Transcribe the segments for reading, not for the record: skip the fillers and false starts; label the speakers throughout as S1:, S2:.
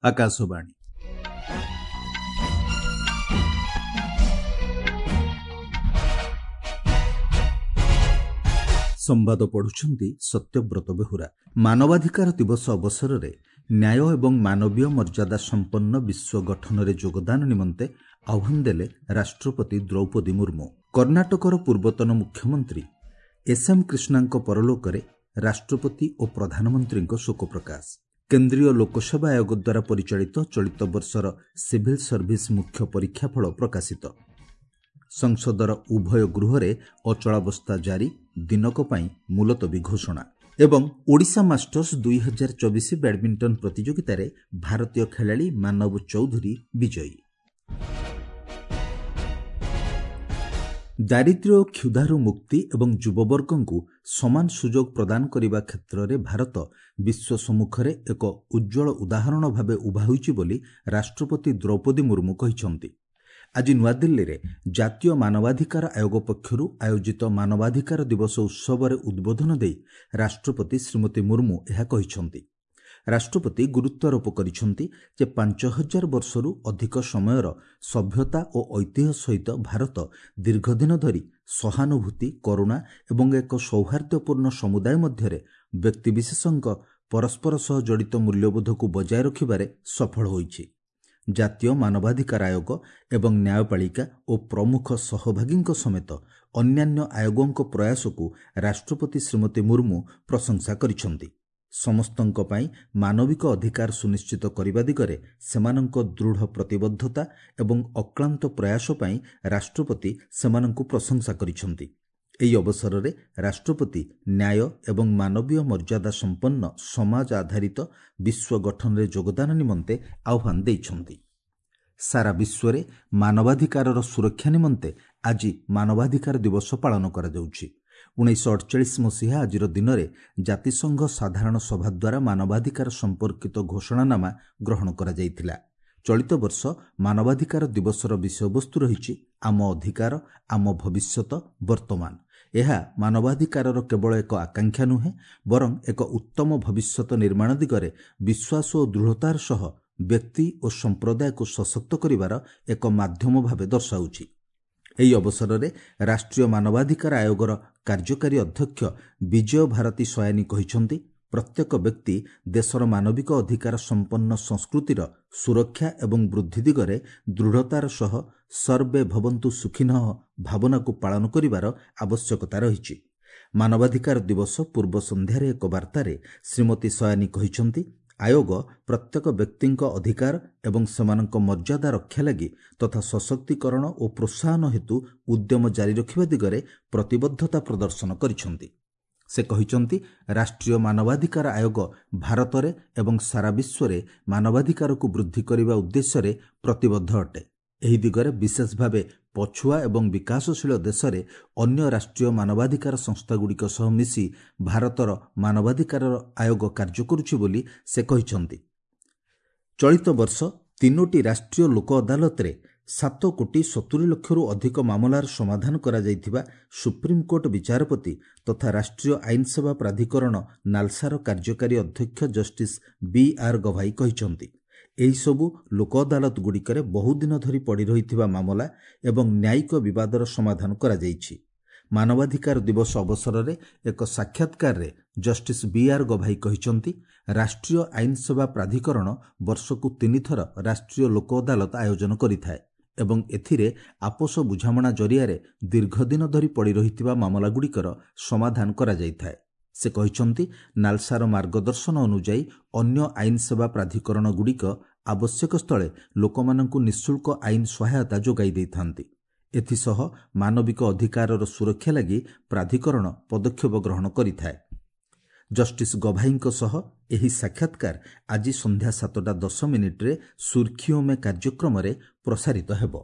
S1: ଆକାଶବାଣୀ। ସମ୍ବାଦ ପଢୁଛନ୍ତି ସତ୍ୟବ୍ରତ ବେହୁରା। ମାନବାଧିକାର ଦିବସ ଅବସରରେ ନ୍ୟାୟ ଏବଂ ମାନବୀୟ ମର୍ଯ୍ୟାଦା ସମ୍ପନ୍ନ ବିଶ୍ୱ ଗଠନରେ ଯୋଗଦାନ ନିମନ୍ତେ ଆହ୍ୱାନ ଦେଲେ ରାଷ୍ଟ୍ରପତି ଦ୍ରୌପଦୀ ମୁର୍ମୁ। କର୍ଣ୍ଣାଟକର ପୂର୍ବତନ ମୁଖ୍ୟମନ୍ତ୍ରୀ ଏସ୍ଏମ୍ କ୍ରିଷ୍ଣାଙ୍କ ପରଲୋକରେ ରାଷ୍ଟ୍ରପତି ଓ ପ୍ରଧାନମନ୍ତ୍ରୀଙ୍କ ଶୋକ ପ୍ରକାଶ। କେନ୍ଦ୍ରୀୟ ଲୋକସେବା ଆୟୋଗ ଦ୍ୱାରା ପରିଚାଳିତ ଚଳିତ ବର୍ଷର ସିଭିଲ୍ ସର୍ଭିସ ମୁଖ୍ୟ ପରୀକ୍ଷାଫଳ ପ୍ରକାଶିତ। ସଂସଦର ଉଭୟ ଗୃହରେ ଅଚଳାବସ୍ଥା ଜାରି, ଦିନକ ପାଇଁ ମୁଲତବୀ ଘୋଷଣା। ଏବଂ ଓଡ଼ିଶା ମାଷ୍ଟର୍ସ 2024 ବ୍ୟାଡମିଣ୍ଟନ ପ୍ରତିଯୋଗିତାରେ ଭାରତୀୟ ଖେଳାଳି ମାନବ ଚୌଧୁରୀ ବିଜୟୀ। ଦାରିଦ୍ର୍ୟ ଓ କ୍ଷୁଧାରୁ ମୁକ୍ତି ଏବଂ ଯୁବବର୍ଗଙ୍କୁ ସମାନ ସୁଯୋଗ ପ୍ରଦାନ କରିବା କ୍ଷେତ୍ରରେ ଭାରତ ବିଶ୍ୱ ସମ୍ମୁଖରେ ଏକ ଉଜ୍ଜ୍ୱଳ ଉଦାହରଣ ଭାବେ ଉଭା ହୋଇଛି ବୋଲି ରାଷ୍ଟ୍ରପତି ଦ୍ରୌପଦୀ ମୁର୍ମୁ କହିଛନ୍ତି। ଆଜି ନୂଆଦିଲ୍ଲୀରେ ଜାତୀୟ ମାନବାଧିକାର ଆୟୋଗ ପକ୍ଷରୁ ଆୟୋଜିତ ମାନବାଧିକାର ଦିବସ ଉତ୍ସବରେ ଉଦ୍ବୋଧନ ଦେଇ ରାଷ୍ଟ୍ରପତି ଶ୍ରୀମତୀ ମୁର୍ମୁ ଏହା କହିଛନ୍ତି। ରାଷ୍ଟ୍ରପତି ଗୁରୁତ୍ୱାରୋପ କରିଛନ୍ତି ଯେ 5000 ବର୍ଷରୁ ଅଧିକ ସମୟର ସଭ୍ୟତା ଓ ଐତିହ୍ୟ ସହିତ ଭାରତ ଦୀର୍ଘଦିନ ଧରି ସହାନୁଭୂତି, କରୁଣା ଏବଂ ଏକ ସୌହାର୍ଦ୍ଦ୍ୟପୂର୍ଣ୍ଣ ସମୁଦାୟ ମଧ୍ୟରେ ବ୍ୟକ୍ତିବିଶେଷଙ୍କ ପରସ୍ପର ସହ ଜଡ଼ିତ ମୂଲ୍ୟବୋଧକୁ ବଜାୟ ରଖିବାରେ ସଫଳ ହୋଇଛି। ଜାତୀୟ ମାନବାଧିକାର ଆୟୋଗ ଏବଂ ନ୍ୟାୟପାଳିକା ଓ ପ୍ରମୁଖ ସହଭାଗୀଙ୍କ ସମେତ ଅନ୍ୟାନ୍ୟ ଆୟୋଗଙ୍କ ପ୍ରୟାସକୁ ରାଷ୍ଟ୍ରପତି ଶ୍ରୀମତୀ ମୁର୍ମୁ ପ୍ରଶଂସା କରିଛନ୍ତି। ସମସ୍ତଙ୍କ ପାଇଁ ମାନବିକ ଅଧିକାର ସୁନିଶ୍ଚିତ କରିବା ଦିଗରେ ସେମାନଙ୍କ ଦୃଢ଼ ପ୍ରତିବଦ୍ଧତା ଏବଂ ଅକ୍ଳାନ୍ତ ପ୍ରୟାସ ପାଇଁ ରାଷ୍ଟ୍ରପତି ସେମାନଙ୍କୁ ପ୍ରଶଂସା କରିଛନ୍ତି। ଏହି ଅବସରରେ ରାଷ୍ଟ୍ରପତି ନ୍ୟାୟ ଏବଂ ମାନବୀୟ ମର୍ଯ୍ୟାଦା ସମ୍ପନ୍ନ ସମାଜ ଆଧାରିତ ବିଶ୍ୱ ଗଠନରେ ଯୋଗଦାନ ନିମନ୍ତେ ଆହ୍ୱାନ ଦେଇଛନ୍ତି। ସାରା ବିଶ୍ୱରେ ମାନବାଧିକାରର ସୁରକ୍ଷା ନିମନ୍ତେ ଆଜି ମାନବାଧିକାର ଦିବସ ପାଳନ କରାଯାଉଛି। 1948 ମସିହା ଆଜିର ଦିନରେ ଜାତିସଂଘ ସାଧାରଣ ସଭା ଦ୍ୱାରା ମାନବାଧିକାର ସମ୍ପର୍କିତ ଘୋଷଣାନାମା ଗ୍ରହଣ କରାଯାଇଥିଲା। ଚଳିତ ବର୍ଷ ମାନବାଧିକାର ଦିବସର ବିଷୟବସ୍ତୁ ରହିଛି ଆମ ଅଧିକାର, ଆମ ଭବିଷ୍ୟତ, ବର୍ତ୍ତମାନ। ଏହା ମାନବାଧିକାରର କେବଳ ଏକ ଆକାଂକ୍ଷା ନୁହେଁ, ବରଂ ଏକ ଉତ୍ତମ ଭବିଷ୍ୟତ ନିର୍ମାଣ ଦିଗରେ ବିଶ୍ୱାସ ଓ ଦୃଢ଼ତାର ସହ ବ୍ୟକ୍ତି ଓ ସମ୍ପ୍ରଦାୟକୁ ସଶକ୍ତ କରିବାର ଏକ ମାଧ୍ୟମ ଭାବେ ଦର୍ଶାଉଛି। ଏହି ଅବସରରେ ରାଷ୍ଟ୍ରୀୟ ମାନବାଧିକାର ଆୟୋଗର କାର୍ଯ୍ୟକାରୀ ଅଧ୍ୟକ୍ଷ ବିଜୟ ଭାରତୀ ସୟାନୀ କହିଛନ୍ତି, ପ୍ରତ୍ୟେକ ବ୍ୟକ୍ତି ଦେଶର ମାନବିକ ଅଧିକାର ସମ୍ପନ୍ନ ସଂସ୍କୃତିର ସୁରକ୍ଷା ଏବଂ ବୃଦ୍ଧି ଦିଗରେ ଦୃଢ଼ତାର ସହ ସର୍ବେ ଭବନ୍ତୁ ସୁଖିନଃ ଭାବନାକୁ ପାଳନ କରିବାର ଆବଶ୍ୟକତା ରହିଛି। ମାନବାଧିକାର ଦିବସ ପୂର୍ବ ସନ୍ଧ୍ୟାରେ ଏକ ବାର୍ତ୍ତାରେ ଶ୍ରୀମତୀ ସୟାନୀ କହିଛନ୍ତି, ଆୟୋଗ ପ୍ରତ୍ୟେକ ବ୍ୟକ୍ତିଙ୍କ ଅଧିକାର ଏବଂ ସେମାନଙ୍କ ମର୍ଯ୍ୟାଦା ରକ୍ଷା ଲାଗି ତଥା ସଶକ୍ତିକରଣ ଓ ପ୍ରୋତ୍ସାହନ ହେତୁ ଉଦ୍ୟମ ଜାରି ରଖିବା ଦିଗରେ ପ୍ରତିବଦ୍ଧତା ପ୍ରଦର୍ଶନ କରିଛନ୍ତି। ସେ କହିଛନ୍ତି, ରାଷ୍ଟ୍ରୀୟ ମାନବାଧିକାର ଆୟୋଗ ଭାରତରେ ଏବଂ ସାରା ବିଶ୍ୱରେ ମାନବାଧିକାରକୁ ବୃଦ୍ଧି କରିବା ଉଦ୍ଦେଶ୍ୟରେ ପ୍ରତିବଦ୍ଧ ଅଟେ। ଏହି ଦିଗରେ ବିଶେଷ ଭାବେ ପଛୁଆ ଏବଂ ବିକାଶଶୀଳ ଦେଶରେ ଅନ୍ୟ ରାଷ୍ଟ୍ରୀୟ ମାନବାଧିକାର ସଂସ୍ଥାଗୁଡ଼ିକ ସହ ମିଶି ଭାରତର ମାନବାଧିକାର ଆୟୋଗ କାର୍ଯ୍ୟ କରୁଛି ବୋଲି ସେ କହିଛନ୍ତି। ଚଳିତ ବର୍ଷ 3ଟି ରାଷ୍ଟ୍ରୀୟ ଲୋକ ଅଦାଲତରେ 7 କୋଟି 70 ଲକ୍ଷରୁ ଅଧିକ ମାମଲାର ସମାଧାନ କରାଯାଇଥିବା ସୁପ୍ରିମକୋର୍ଟ ବିଚାରପତି ତଥା ରାଷ୍ଟ୍ରୀୟ ଆଇନ ସେବା ପ୍ରାଧିକରଣ ନାଲସାର କାର୍ଯ୍ୟକାରୀ ଅଧ୍ୟକ୍ଷ ଜଷ୍ଟିସ୍ ବି ଆର୍ ଗଭାଇ କହିଛନ୍ତି। ଏହିସବୁ ଲୋକ ଅଦାଲତଗୁଡ଼ିକରେ ବହୁଦିନ ଧରି ପଡ଼ି ରହିଥିବା ମାମଲା ଏବଂ ନ୍ୟାୟିକ ବିବାଦର ସମାଧାନ କରାଯାଇଛି। ମାନବାଧିକାର ଦିବସ ଅବସରରେ ଏକ ସାକ୍ଷାତକାରରେ ଜଷ୍ଟିସ୍ ବି ଆର୍ ଗଭାଇ କହିଛନ୍ତି, ରାଷ୍ଟ୍ରୀୟ ଆଇନ ସେବା ପ୍ରାଧିକରଣ ବର୍ଷକୁ 3 ଥର ରାଷ୍ଟ୍ରୀୟ ଲୋକ ଅଦାଲତ ଆୟୋଜନ କରିଥାଏ ଏବଂ ଏଥିରେ ଆପୋଷ ବୁଝାମଣା ଜରିଆରେ ଦୀର୍ଘଦିନ ଧରି ପଡ଼ି ରହିଥିବା ମାମଲାଗୁଡ଼ିକର ସମାଧାନ କରାଯାଇଥାଏ। ସେ କହିଛନ୍ତି, ନାଲସାର ମାର୍ଗଦର୍ଶନ ଅନୁଯାୟୀ ଅନ୍ୟ ଆଇନ ସେବା ପ୍ରାଧିକରଣଗୁଡ଼ିକ ଆବଶ୍ୟକ ସ୍ଥଳେ ଲୋକମାନଙ୍କୁ ନିଃଶୁଳ୍କ ଆଇନ ସହାୟତା ଯୋଗାଇ ଦେଇଥାନ୍ତି। ଏଥିସହ ମାନବିକ ଅଧିକାରର ସୁରକ୍ଷା ଲାଗି ପ୍ରାଧିକରଣ ପଦକ୍ଷେପ ଗ୍ରହଣ କରିଥାଏ। ଜଷ୍ଟିସ୍ ଗଭାଇଙ୍କ ସହ ଏହି ସାକ୍ଷାତକାର ଆଜି ସନ୍ଧ୍ୟା 7:10 ସୁର୍ଖିଓ ମେ କାର୍ଯ୍ୟକ୍ରମରେ ପ୍ରସାରିତ ହେବ।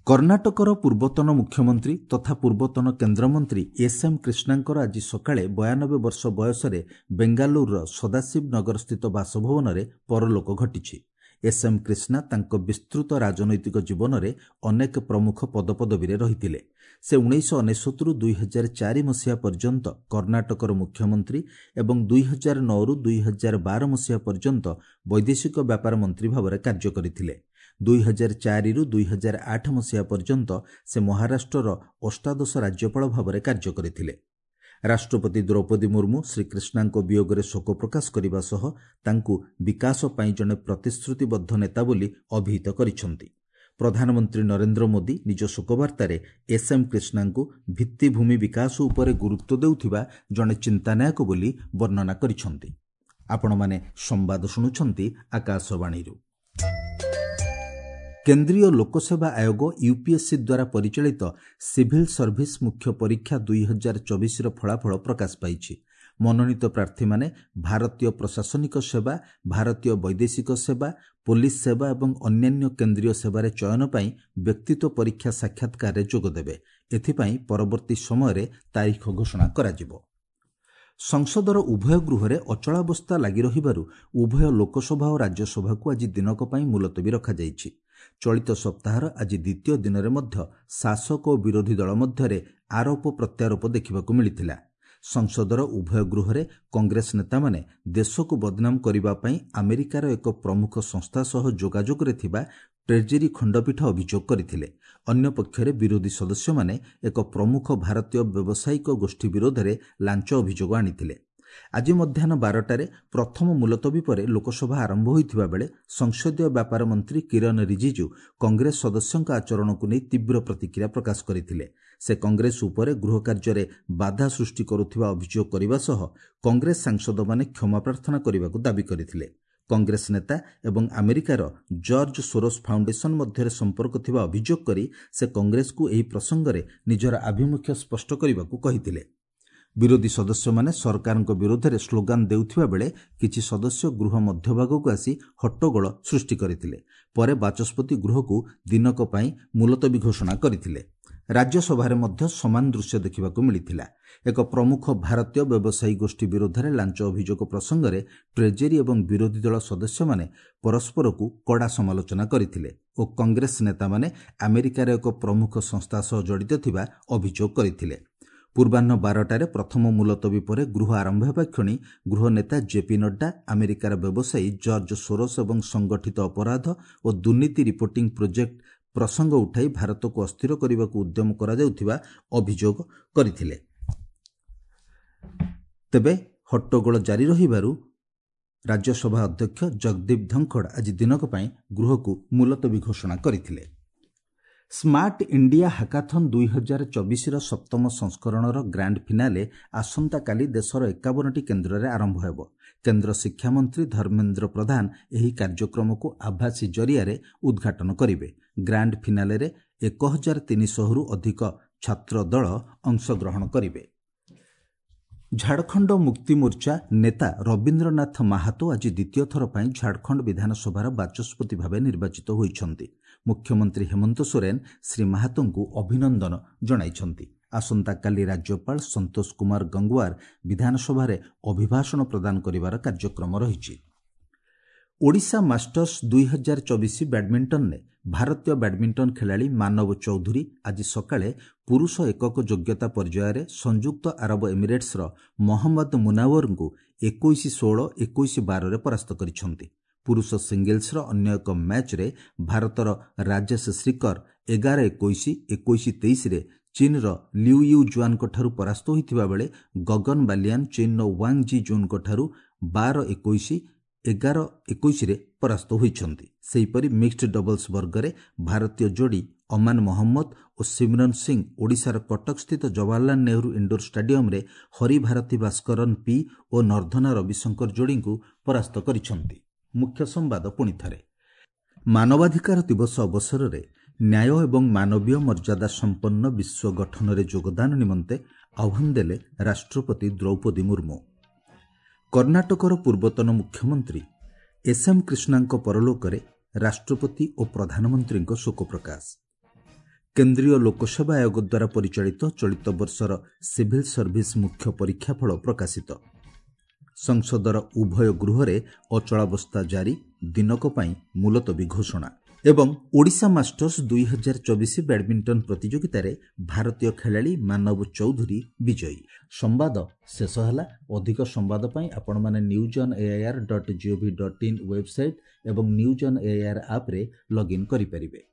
S1: କର୍ଣ୍ଣାଟକର ପୂର୍ବତନ ମୁଖ୍ୟମନ୍ତ୍ରୀ ତଥା ପୂର୍ବତନ କେନ୍ଦ୍ରମନ୍ତ୍ରୀ ଏସ୍ ଏମ୍ କ୍ରିଷ୍ଣାଙ୍କର ଆଜି ସକାଳେ 92 ବର୍ଷ ବୟସରେ ବେଙ୍ଗାଲୁରୁର ସଦାଶିବ ନଗରସ୍ଥିତ ବାସଭବନରେ ପରଲୋକ ଘଟିଛି। ଏସ୍ ଏମ୍ କ୍ରିଷ୍ଣା ତାଙ୍କ ବିସ୍ତୃତ ରାଜନୈତିକ ଜୀବନରେ ଅନେକ ପ୍ରମୁଖ ପଦପଦବୀରେ ରହିଥିଲେ। ସେ 1999ରୁ 2004 ମସିହା ପର୍ଯ୍ୟନ୍ତ କର୍ଣ୍ଣାଟକର ମୁଖ୍ୟମନ୍ତ୍ରୀ ଏବଂ 2009ରୁ 2012 ମସିହା ପର୍ଯ୍ୟନ୍ତ ବୈଦେଶିକ ବ୍ୟାପାର ମନ୍ତ୍ରୀ ଭାବରେ କାର୍ଯ୍ୟ କରିଥିଲେ। 2004ରୁ 2008 ମସିହା ପର୍ଯ୍ୟନ୍ତ ସେ ମହାରାଷ୍ଟ୍ରର ଅଷ୍ଟାଦଶ ରାଜ୍ୟପାଳ ଭାବରେ କାର୍ଯ୍ୟ କରିଥିଲେ। ରାଷ୍ଟ୍ରପତି ଦ୍ରୌପଦୀ ମୁର୍ମୁ ଶ୍ରୀ କ୍ରିଷ୍ଣାଙ୍କ ବିୟୋଗରେ ଶୋକ ପ୍ରକାଶ କରିବା ସହ ତାଙ୍କୁ ବିକାଶ ପାଇଁ ଜଣେ ପ୍ରତିଶ୍ରୁତିବଦ୍ଧ ନେତା ବୋଲି ଅଭିହିତ କରିଛନ୍ତି। ପ୍ରଧାନମନ୍ତ୍ରୀ ନରେନ୍ଦ୍ର ମୋଦି ନିଜ ଶୋକବାର୍ତ୍ତାରେ ଏସ୍ ଏମ୍ କ୍ରିଷ୍ଣାଙ୍କୁ ଭିତ୍ତିଭୂମି ବିକାଶ ଉପରେ ଗୁରୁତ୍ୱ ଦେଉଥିବା ଜଣେ ଚିନ୍ତାନାୟକ ବୋଲି ବର୍ଣ୍ଣନା କରିଛନ୍ତି। ଆପଣମାନେ ସମ୍ବାଦ ଶୁଣୁଛନ୍ତି ଆକାଶବାଣୀରୁ। କେନ୍ଦ୍ରୀୟ ଲୋକସେବା ଆୟୋଗ ୟୁପିଏସ୍ସି ଦ୍ୱାରା ପରିଚାଳିତ ସିଭିଲ୍ ସର୍ଭିସ ମୁଖ୍ୟ ପରୀକ୍ଷା 2024ର ଫଳାଫଳ ପ୍ରକାଶ ପାଇଛି। ମନୋନୀତ ପ୍ରାର୍ଥୀମାନେ ଭାରତୀୟ ପ୍ରଶାସନିକ ସେବା, ଭାରତୀୟ ବୈଦେଶିକ ସେବା, ପୋଲିସ ସେବା ଏବଂ ଅନ୍ୟାନ୍ୟ କେନ୍ଦ୍ରୀୟ ସେବାରେ ଚୟନ ପାଇଁ ବ୍ୟକ୍ତିତ୍ୱ ପରୀକ୍ଷା ସାକ୍ଷାତକାରରେ ଯୋଗଦେବେ। ଏଥିପାଇଁ ପରବର୍ତ୍ତୀ ସମୟରେ ତାରିଖ ଘୋଷଣା କରାଯିବ। ସଂସଦର ଉଭୟ ଗୃହରେ ଅଚଳାବସ୍ଥା ଲାଗି ରହିବାରୁ ଉଭୟ ଲୋକସଭା ଓ ରାଜ୍ୟସଭାକୁ ଆଜି ଦିନକ ପାଇଁ ମୁଲତବୀ ରଖାଯାଇଛି। ଚଳିତ ସପ୍ତାହର ଆଜି ଦ୍ୱିତୀୟ ଦିନରେ ମଧ୍ୟ ଶାସକ ଓ ବିରୋଧୀ ଦଳ ମଧ୍ୟରେ ଆରୋପ ପ୍ରତ୍ୟାରୋପ ଦେଖିବାକୁ ମିଳିଥିଲା। ସଂସଦର ଉଭୟ ଗୃହରେ କଂଗ୍ରେସ ନେତାମାନେ ଦେଶକୁ ବଦନାମ କରିବା ପାଇଁ ଆମେରିକାର ଏକ ପ୍ରମୁଖ ସଂସ୍ଥା ସହ ଯୋଗାଯୋଗରେ ଥିବା ଟ୍ରେଜେରୀ ଖଣ୍ଡପୀଠ ଅଭିଯୋଗ କରିଥିଲେ। ଅନ୍ୟପକ୍ଷରେ ବିରୋଧୀ ସଦସ୍ୟମାନେ ଏକ ପ୍ରମୁଖ ଭାରତୀୟ ବ୍ୟବସାୟିକ ଗୋଷ୍ଠୀ ବିରୋଧରେ ଲାଞ୍ଚ ଅଭିଯୋଗ ଆଣିଥିଲେ। ଆଜି ମଧ୍ୟାହ୍ନ 12ଟାରେ ପ୍ରଥମ ମୁଲତବୀ ପରେ ଲୋକସଭା ଆରମ୍ଭ ହୋଇଥିବା ବେଳେ ସଂସଦୀୟ ବ୍ୟାପାର ମନ୍ତ୍ରୀ କିରଣ ରିଜିଜୁ କଂଗ୍ରେସ ସଦସ୍ୟଙ୍କ ଆଚରଣକୁ ନେଇ ତୀବ୍ର ପ୍ରତିକ୍ରିୟା ପ୍ରକାଶ କରିଥିଲେ। ସେ କଂଗ୍ରେସ ଉପରେ ଗୃହ କାର୍ଯ୍ୟରେ ବାଧା ସୃଷ୍ଟି କରୁଥିବା ଅଭିଯୋଗ କରିବା ସହ କଂଗ୍ରେସ ସାଂସଦମାନେ କ୍ଷମା ପ୍ରାର୍ଥନା କରିବାକୁ ଦାବି କରିଥିଲେ। କଂଗ୍ରେସ ନେତା ଏବଂ ଆମେରିକାର ଜର୍ଜ ସୋରୋସ୍ ଫାଉଣ୍ଡେସନ ମଧ୍ୟରେ ସମ୍ପର୍କ ଥିବା ଅଭିଯୋଗ କରି ସେ କଂଗ୍ରେସକୁ ଏହି ପ୍ରସଙ୍ଗରେ ନିଜର ଆଭିମୁଖ୍ୟ ସ୍ପଷ୍ଟ କରିବାକୁ କହିଥିଲେ। ବିରୋଧୀ ସଦସ୍ୟମାନେ ସରକାରଙ୍କ ବିରୋଧରେ ସ୍ଲୋଗାନ ଦେଉଥିବା ବେଳେ କିଛି ସଦସ୍ୟ ଗୃହ ମଧ୍ୟଭାଗକୁ ଆସି ହଟ୍ଟଗୋଳ ସୃଷ୍ଟି କରିଥିଲେ। ପରେ ବାଚସ୍ପତି ଗୃହକୁ ଦିନକ ପାଇଁ ମୁଲତବୀ ଘୋଷଣା କରିଥିଲେ। ରାଜ୍ୟସଭାରେ ମଧ୍ୟ ସମାନ ଦୃଶ୍ୟ ଦେଖିବାକୁ ମିଳିଥିଲା। ଏକ ପ୍ରମୁଖ ଭାରତୀୟ ବ୍ୟବସାୟୀ ଗୋଷ୍ଠୀ ବିରୋଧରେ ଲାଞ୍ଚ ଅଭିଯୋଗ ପ୍ରସଙ୍ଗରେ ଟ୍ରେଜେରୀ ଏବଂ ବିରୋଧୀ ଦଳ ସଦସ୍ୟମାନେ ପରସ୍ପରକୁ କଡ଼ା ସମାଲୋଚନା କରିଥିଲେ ଓ କଂଗ୍ରେସ ନେତାମାନେ ଆମେରିକାର ଏକ ପ୍ରମୁଖ ସଂସ୍ଥା ସହ ଜଡ଼ିତ ଥିବା ଅଭିଯୋଗ କରିଥିଲେ। ପୂର୍ବାହ୍ନ 12ଟାରେ ପ୍ରଥମ ମୁଲତବୀ ପରେ ଗୃହ ଆରମ୍ଭ ହେବା କ୍ଷଣି ଗୃହ ନେତା ଜେପି ନଡ୍ଡା ଆମେରିକାର ବ୍ୟବସାୟୀ ଜର୍ଜ ସୋରୋସ୍ ଏବଂ ସଂଗଠିତ ଅପରାଧ ଓ ଦୁର୍ନୀତି ରିପୋର୍ଟିଂ ପ୍ରୋଜେକ୍ଟ ପ୍ରସଙ୍ଗ ଉଠାଇ ଭାରତକୁ ଅସ୍ଥିର କରିବାକୁ ଉଦ୍ୟମ କରାଯାଉଥିବା ଅଭିଯୋଗ କରିଥିଲେ। ତେବେ ହଟ୍ଟଗୋଳ ଜାରି ରହିବାରୁ ରାଜ୍ୟସଭା ଅଧ୍ୟକ୍ଷ ଜଗଦୀପ ଧନଖଡ଼ ଆଜି ଦିନକ ପାଇଁ ଗୃହକୁ ମୁଲତବୀ ଘୋଷଣା କରିଥିଲେ। ସ୍ମାର୍ଟ ଇଣ୍ଡିଆ ହାକାଥନ୍ 2024ର ସପ୍ତମ ସଂସ୍କରଣର ଗ୍ରାଣ୍ଡ ଫିନାଲେ ଆସନ୍ତାକାଲି ଦେଶର 51ଟି କେନ୍ଦ୍ରରେ ଆରମ୍ଭ ହେବ। କେନ୍ଦ୍ର ଶିକ୍ଷାମନ୍ତ୍ରୀ ଧର୍ମେନ୍ଦ୍ର ପ୍ରଧାନ ଏହି କାର୍ଯ୍ୟକ୍ରମକୁ ଆଭାସୀ ଜରିଆରେ ଉଦ୍ଘାଟନ କରିବେ। ଗ୍ରାଣ୍ଡ ଫିନାଲେରେ 1300ରୁ ଅଧିକ ଛାତ୍ର ଦଳ ଅଂଶଗ୍ରହଣ କରିବେ। ଝାଡ଼ଖଣ୍ଡ ମୁକ୍ତି ମୋର୍ଚ୍ଚା ନେତା ରବୀନ୍ଦ୍ରନାଥ ମାହାତୋ ଆଜି ଦ୍ୱିତୀୟ ଥର ପାଇଁ ଝାଡ଼ଖଣ୍ଡ ବିଧାନସଭାର ବାଚସ୍ପତି ଭାବେ ନିର୍ବାଚିତ ହୋଇଛନ୍ତି। ମୁଖ୍ୟମନ୍ତ୍ରୀ ହେମନ୍ତ ସୋରେନ ଶ୍ରୀ ମାହାତୋଙ୍କୁ ଅଭିନନ୍ଦନ ଜଣାଇଛନ୍ତି। ଆସନ୍ତାକାଲି ରାଜ୍ୟପାଳ ସନ୍ତୋଷ କୁମାର ଗଙ୍ଗୱାର ବିଧାନସଭାରେ ଅଭିଭାଷଣ ପ୍ରଦାନ କରିବାର କାର୍ଯ୍ୟକ୍ରମ ରହିଛି। ଓଡ଼ିଶା ମାଷ୍ଟର୍ସ 2024 ବ୍ୟାଡମିଣ୍ଟନରେ ଭାରତୀୟ ବ୍ୟାଡମିଣ୍ଟନ ଖେଳାଳି ମାନବ ଚୌଧୁରୀ ଆଜି ସକାଳେ ପୁରୁଷ ଏକକ ଯୋଗ୍ୟତା ପର୍ଯ୍ୟାୟରେ ସଂଯୁକ୍ତ ଆରବ ଏମିରେଟ୍ସର ମହମ୍ମଦ ମୁନାୱରଙ୍କୁ 21-16, 21-12ରେ ପରାସ୍ତ କରିଛନ୍ତି। ପୁରୁଷ ସିଙ୍ଗଲ୍ସର ଅନ୍ୟ ଏକ ମ୍ୟାଚ୍ରେ ଭାରତର ରାଜେଶ ଶ୍ରୀକର 11-21, 21-23ରେ ଚୀନ୍ର ଲିଉ you ଜୁଆନଙ୍କଠାରୁ ପରାସ୍ତ ହୋଇଥିବା ବେଳେ ଗଗନ ବାଲିଆନ୍ ଚୀନ୍ର ୱାଙ୍ଗ ଜି ଜୁନ୍ଙ୍କଠାରୁ 12-21, 11-21ରେ ପରାସ୍ତ ହୋଇଛନ୍ତି। ସେହିପରି ମିକ୍ସଡ୍ ଡବଲ୍ସ ବର୍ଗରେ ଭାରତୀୟ ଯୋଡ଼ି ଅମାନ ମହମ୍ମଦ ଓ ସିମରନ ସିଂ ଓଡ଼ିଶାର କଟକସ୍ଥିତ ଜବାହରଲାଲ ନେହେରୁ ଇଣ୍ଡୋର ଷ୍ଟାଡିୟମରେ ହରିଭାରତୀ ଭାସ୍କରନ ପି ଓ ନର୍ଦ୍ଧନା ରବିଶଙ୍କର ଯୋଡ଼ିଙ୍କୁ ପରାସ୍ତ କରିଛନ୍ତି। ମୁଖ୍ୟ ସମ୍ବାଦ ପୁଣିଥରେ। ମାନବାଧିକାର ଦିବସ ଅବସରରେ ନ୍ୟାୟ ଏବଂ ମାନବୀୟ ମର୍ଯ୍ୟାଦା ସମ୍ପନ୍ନ ବିଶ୍ୱ ଗଠନରେ ଯୋଗଦାନ ନିମନ୍ତେ ଆହ୍ୱାନ ଦେଲେ ରାଷ୍ଟ୍ରପତି ଦ୍ରୌପଦୀ ମୁର୍ମୁ। କର୍ଣ୍ଣାଟକର ପୂର୍ବତନ ମୁଖ୍ୟମନ୍ତ୍ରୀ ଏସ୍ ଏମ୍ କ୍ରିଷ୍ଣାଙ୍କ ପରଲୋକରେ ରାଷ୍ଟ୍ରପତି ଓ ପ୍ରଧାନମନ୍ତ୍ରୀଙ୍କ ଶୋକ ପ୍ରକାଶ। କେନ୍ଦ୍ରୀୟ ଲୋକସେବା ଆୟୋଗ ଦ୍ୱାରା ପରିଚାଳିତ ଚଳିତ ବର୍ଷର ସିଭିଲ୍ ସର୍ଭିସ ମୁଖ୍ୟ ପରୀକ୍ଷାଫଳ ପ୍ରକାଶିତ। ସଂସଦର ଉଭୟ ଗୃହରେ ଅଚଳାବସ୍ଥା ଜାରି, ଦିନକ ପାଇଁ ମୁଲତବୀ ଘୋଷଣା। ଏବଂ ଓଡ଼ିଶା ମାଷ୍ଟର୍ସ 2024 ବ୍ୟାଡମିଣ୍ଟନ ପ୍ରତିଯୋଗିତାରେ ଭାରତୀୟ ଖେଳାଳି ମାନବ ଚୌଧୁରୀ ବିଜୟୀ। ସମ୍ବାଦ ଶେଷ ହେଲା। ଅଧିକ ସମ୍ବାଦ ପାଇଁ ଆପଣମାନେ news on AIR dot GOV dot in website ଏବଂ ନ୍ୟୁଜ୍ ଅନ୍ ଏଆଇଆର୍ ଆପ୍ରେ ଲଗ୍ଇନ୍ କରିପାରିବେ।